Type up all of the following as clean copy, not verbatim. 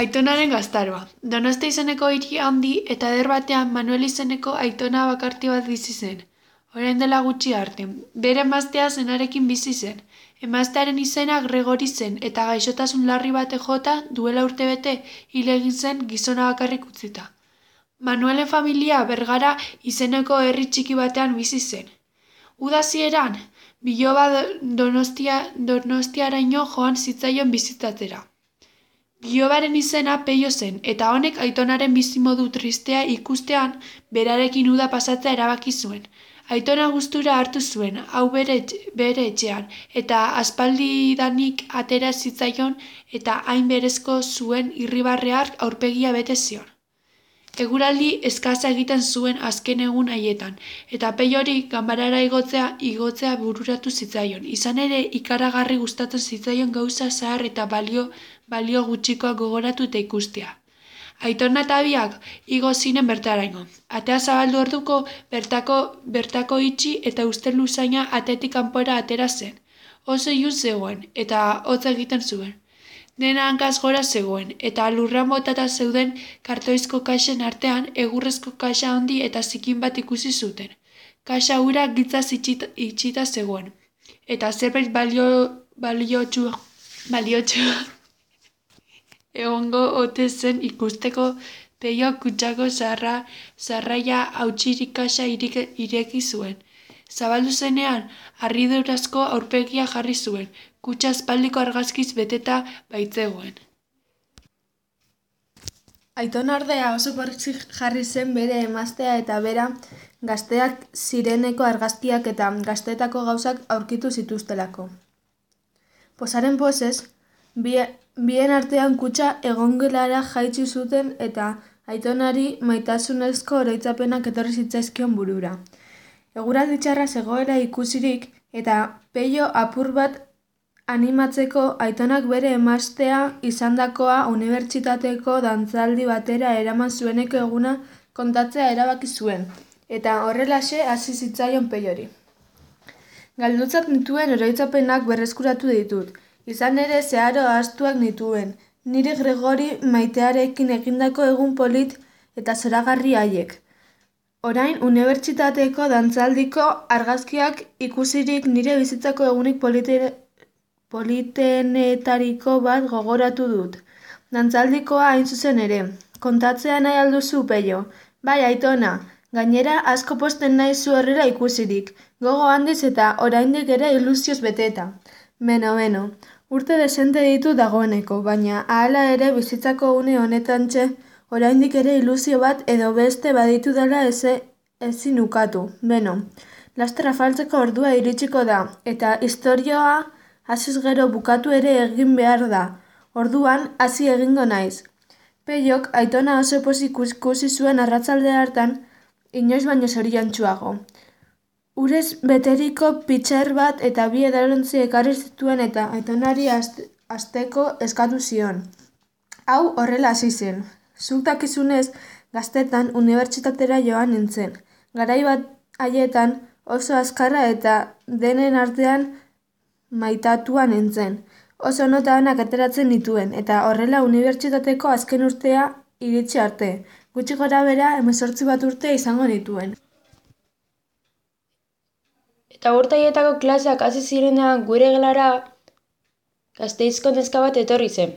Aitonaren gaztaroa. Donostia izeneko hiri handi eta eder batean Manuel izeneko aitona bakarti bat bizi zen. Orain dela gutxi arte. Bere emaztea zenarekin bizi zen. Emaztearen izena Gregori zen eta gaixotasun larri bate jota duela urtebete hil egin zen gizona bakarrik utzita. Manuelen familia Bergara izeneko herri txiki batean bizi zen. Uda hasieran, biloba Donostiaraino joan zitzaion bizitatzera. Bilobaren izena Peio zen, eta honek aitonaren bizimodu tristea ikustean berarekin uda pasatzea erabaki zuen. Aitona gustura hartu zuen, hau bere etxean, eta aspaldidanik atera zitzaion eta hain berezko zuen irribarreak aurpegia bete zion. Eguraldi eskasa egiten zuen azken egun haietan, eta Peiori ganbarara igotzea bururatu zitzaion. Izan ere, ikaragarri gustatzen zitzaion gauza zahar eta balio gutxikoak gogoratu eta ikustea. Aitona eta biak igo zinen bertaraino. Atea zabaldu orduko bertako itxi eta ustel luzaina atetik kanpora atera zen. Oso ilun zegoen, eta hotz egiten zuen. Dena hankaz gora zegoen, eta lurrean botata zeuden kartoizko kaxen artean egurrezko kaxa handi eta zikin bat ikusi zuten. Kaxa hura gitzaz itxita zegoen, eta zerbait baliotsua egongo ote zen ikusteko. Peio kutsako zarraia hautsirik kaxa ireki zuen. Zabaldu zenean, harridurazko aurpegia jarri zuen, kutxa aspaldiko argazkiz beteta baitzegoen. Aitona ordea oso pozik jarri zen bere emaztea eta bera gazteak zireneko argazkiak eta gaztetako gauzak aurkitu zituztelako. Posaren posez, bien artean kutxa egongelara jaitsi zuten eta Aitonari maitasunezko oroitzapenak etorri zitzaizkion burura. Eguraldi txarra zegoela ikusirik eta Peio apur bat animatzeko Aitonak bere emaztea izandakoa unibertsitateko dantzaldi batera eraman zueneko eguna kontatzea erabaki zuen, eta horrelaxe hasi zitzaion Peiori. Galdutzat nituen oroitzapenak berreskuratu ditut, izan ere zeharo ahaztuak nituen, nire Gregori maitearekin egindako egun polit eta zoragarri haiek. Orain, unibertsitateko dantzaldiko argazkiak ikusirik nire bizitzako egunik politenetariko bat gogoratu dut. Dantzaldikoa hain zuzen ere. Kontatzea nahi alduzu, Peio? Bai, Aitona, gainera asko posten nahi zu horrela ikusirik. Gogo handiz eta oraindik ere ilusioz beteta. Beno, urte desente ditu dagoeneko, baina ahala ere bizitzako une honetantxe oraindik ere ilusio bat edo beste baditu dela ezin ukatu. Beno, laster afaltzeko ordua iritsiko da, eta istorioa hasiz gero bukatu ere egin behar da. Orduan, hasi egingo naiz. Peiok Aitona oso pozik ikusi zuen arratsalde hartan, inoiz baino zoriontsuago. Urez beteriko pitxer bat eta bi edalontzi ekarri zituen eta Aitonari hasteko eskatu zion. Hau horrela hasi zen. Zuk dakizunez, gaztetan unibertsitatera joan nintzen. Garai bat haietan oso azkarra eta denen artean maitatua nintzen. Oso nota onak ateratzen nituen, eta horrela unibertsitateko azken urtea iritsi arte. Gutxi gora bera 18 bat urte izango nituen. Eta urte haietako klaseak hasi zirenean gure gelara Gasteizko neska bat etorri zen.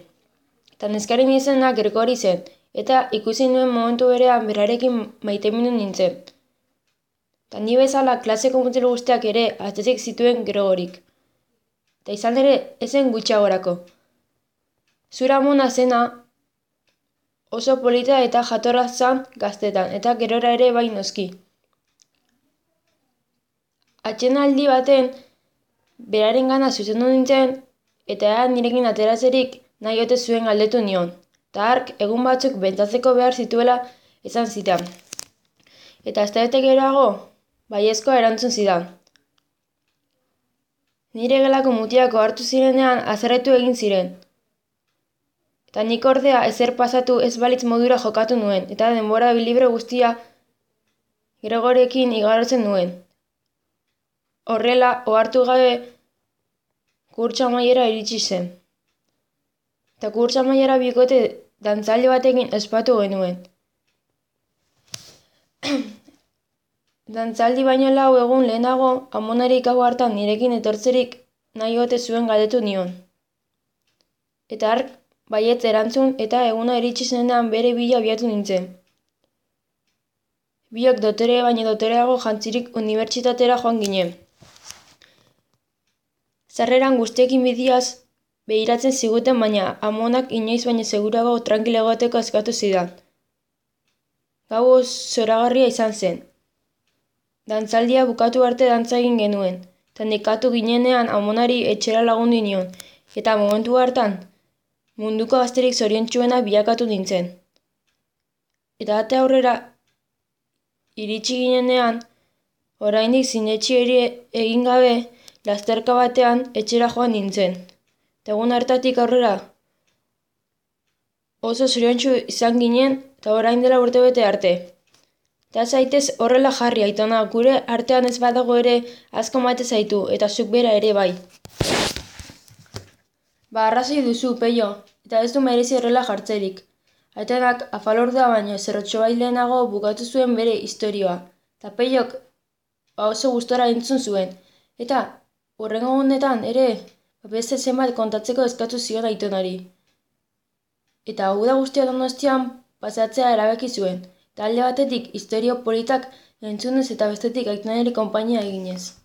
Eta neskaren izena Gregori zen, eta ikusi nuen momentu berean berarekin maitemindu nintzen. Eta ni bezala klaseko mutil guztiak ere atzezik zituen Gregorik. Eta izan ere ezen gutxiagorako. Zura amona zena oso polita eta jatorra zan gaztetan, eta gerora ere bai noski. Atxenaldi baten beraren gana zuzendu nintzen, eta nirekin ateratzerik nahi ote zuen galdetu nion. Eta hark egun batzuk bentsatzeko behar zituela esan zidan. Eta astebete geroago, baiezkoa erantzun zidan. Nire gelako mutiako hartu zirenean haserretu egin ziren. Eta nik ordea ezer pasatu ez balitz modura jokatu nuen, eta denbora libre guztia Gregorekin igarotzen nuen. Horrela, ohartu gabe, kurtsa amaiera iritsi zen. Eta kurtsa amaiera bikote dantzaldi batekin ospatu genuen. Dantzaldi baino 4 egun lehenago, amonari gau hartan nirekin etortzerik nahi ote zuen galdetu nion. Eta hark baietz erantzun eta eguna iritsi zenean bere bila abiatu nintzen. Biok dotore baino dotoreago jantzirik unibertsitatera joan ginen. Sarreran guztiekin bidiaz behiratzen ziguten, baina amonak inoiz baino segurago tranquilo egoteko eskatu zidan. Gau zoragarria izan zen. Dantzaldia bukatu arte dantza egin genuen, eta nekatu ginenean amonari etxera lagundu nion, eta momentu hartan munduko gazterik zoriontsuena bilakatu nintzen. Eta ate aurrera iritsi ginenean, oraindik sinetsi egin gabe, lasterka batean etxera joan nintzen. Eta egun hartatik aurrera oso zoriontsu izan ginen, eta orain dela urtebete arte. Eta zaitez horrela jarri, Aitona, gure artean ez badago ere asko mate zaitu, eta zuk bera ere bai. Arrazoi duzu, Peio, eta ez du merezi horrela jartzerik. Aitonak afalordua baino zerrotxo bai lehenago bukatu zuen bere istorioa, eta Peiok oso gustora entzun zuen, eta hurrengo honetan ere beste zenbat kontatzeko eskatu zion Aitonari. Eta uda guztia Donostian pasatzea erabaki zuen, eta alde batetik istorio politak entzunez eta bestetik Aitonari konpainia eginez.